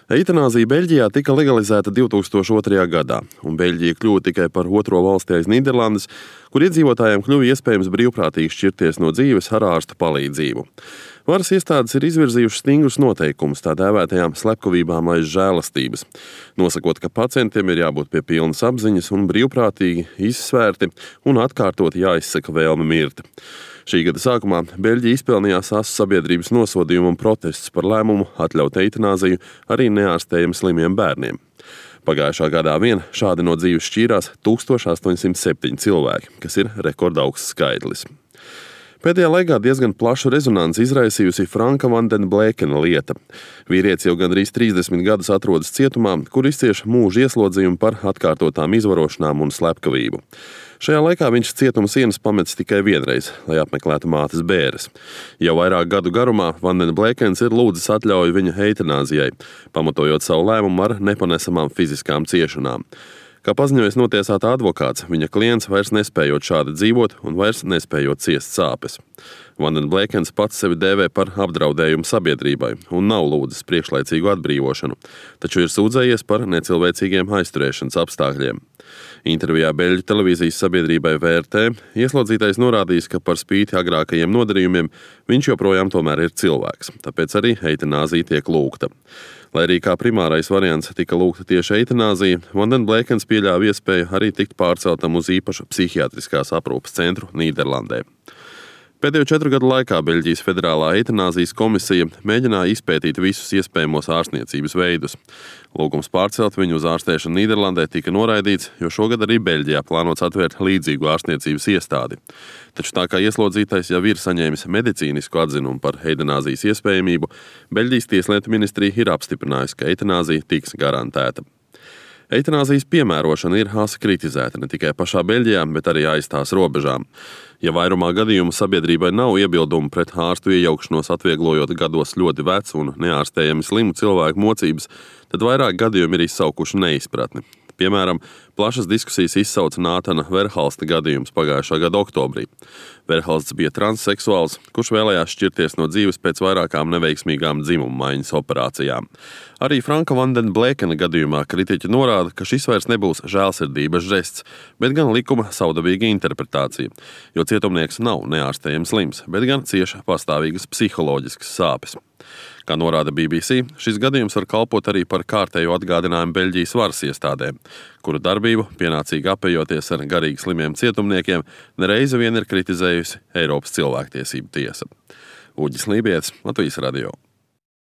Eitanāzija Beļģijā tika legalizēta 2002. gadā, un Beļģija kļuva tikai par otro valsti aiz Nīderlandes, kur iedzīvotājiem kļuva iespējams brīvprātīgi šķirties no dzīves ar ārsta palīdzību. Varas iestādes ir izvirzījušas stingrus noteikumus tā dēvētajām slepkavībām aiz žēlastības, nosakot, ka pacientiem ir jābūt pie pilnas apziņas un brīvprātīgi, izsvērti un atkārtoti jāizsaka vēlme mirt. Šī gada sākumā Beļģija izpelnījās asu sabiedrības nosodījumu un protestus par lēmumu atļaut eitanāziju arī neārstējami slimiem bērniem. Pagājušā gadā vien šādi no dzīves šķīrās 1807 cilvēki, kas ir rekordaugs skaitlis. Pēdējā laikā diezgan plašu rezonanci izraisījusi Franka van den Blekena lieta. Vīrietis jau gandrīz 30 gadus atrodas cietumā, kur izcieš mūža ieslodzījumu par atkārtotām izvarošanām un slepkavību. Šajā laikā viņš cietuma sienas pametis tikai vienreiz, lai apmeklētu mātes bēres. Jau vairāk gadu garumā Van den Blekens ir lūdzis atļauju viņa eitanāzijai, pamatojot savu lēmumu ar nepanesamām fiziskām ciešanām. Kā paziņojis notiesāta advokāts, viņa klients vairs nespējot šādi dzīvot un vairs nespējot ciest sāpes. Van den Blekens pats sevi dēvē par apdraudējumu sabiedrībai un nav lūdzis priekšlaicīgu atbrīvošanu, taču ir sūdzējies par necilvēcīgiem aizturēšanas apstākļiem. Intervijā Beļģu televīzijas sabiedrībai VRT ieslodzītais norādījis, ka par spīti agrākajiem nodarījumiem viņš joprojām tomēr ir cilvēks, tāpēc arī eitanāzija tiek lūgta. Lai arī kā primārais variants tika lūgta tieši eitanāzija, Van den Blekens pieļāva iespēju arī tikt pārceltam uz īpašu psihiatriskās aprūpes centru Nīderlandē. Pēdējo 4 gadu laikā Beļģijas Federālā eitanāzijas komisija mēģināja izpētīt visus iespējamos ārstniecības veidus. Lūgums pārcelt viņu uz ārstēšanu Nīderlandē tika noraidīts, jo šogad arī Beļģijā plānots atvērt līdzīgu ārstniecības iestādi. Taču tā kā ieslodzītais jau ir saņēmis medicīnisku atzinumu par eitanāzijas iespējamību, Beļģijas tieslietu ministrija ir apstiprinājusi, ka eitanāzija tiks garantēta. Eitanāzijas piemērošana ir asi kritizēta ne tikai pašā Beļģijā, bet arī aiz tās robežām. Ja vairumā gadījumu sabiedrībai nav iebildumu pret ārstu iejaukšanos atvieglojot gados ļoti vecu un neārstējami slimu cilvēku mocības, tad vairāk gadījumi ir izsaukuši neizpratni. Piemēram, plašas diskusijas izsauca Nātana Verhalsta gadījums pagājušā gada oktobrī. Verhalsts bija transseksuāls, kurš vēlējās šķirties no dzīves pēc vairākām neveiksmīgām dzimuma maiņas operācijām. Arī Franka van den Blekena gadījumā kritiķi norāda, ka šis vairs nebūs žēlsirdības žests, bet gan likuma savdabīga interpretācija, jo cietumnieks nav neārstējams slims, bet gan cieši pastāvīgas psiholoģiskas sāpes. Kā norāda BBC, šis gadījums var kalpot arī par kārtējo atgādinājumu Beļģijas varas iestādēm, kuru darbību, pienācīgi apējoties ar garīgi slimiem cietumniekiem, nereizi vien ir kritizējusi Eiropas cilvēktiesību tiesa. Uģis Lībietis, Latvijas radio.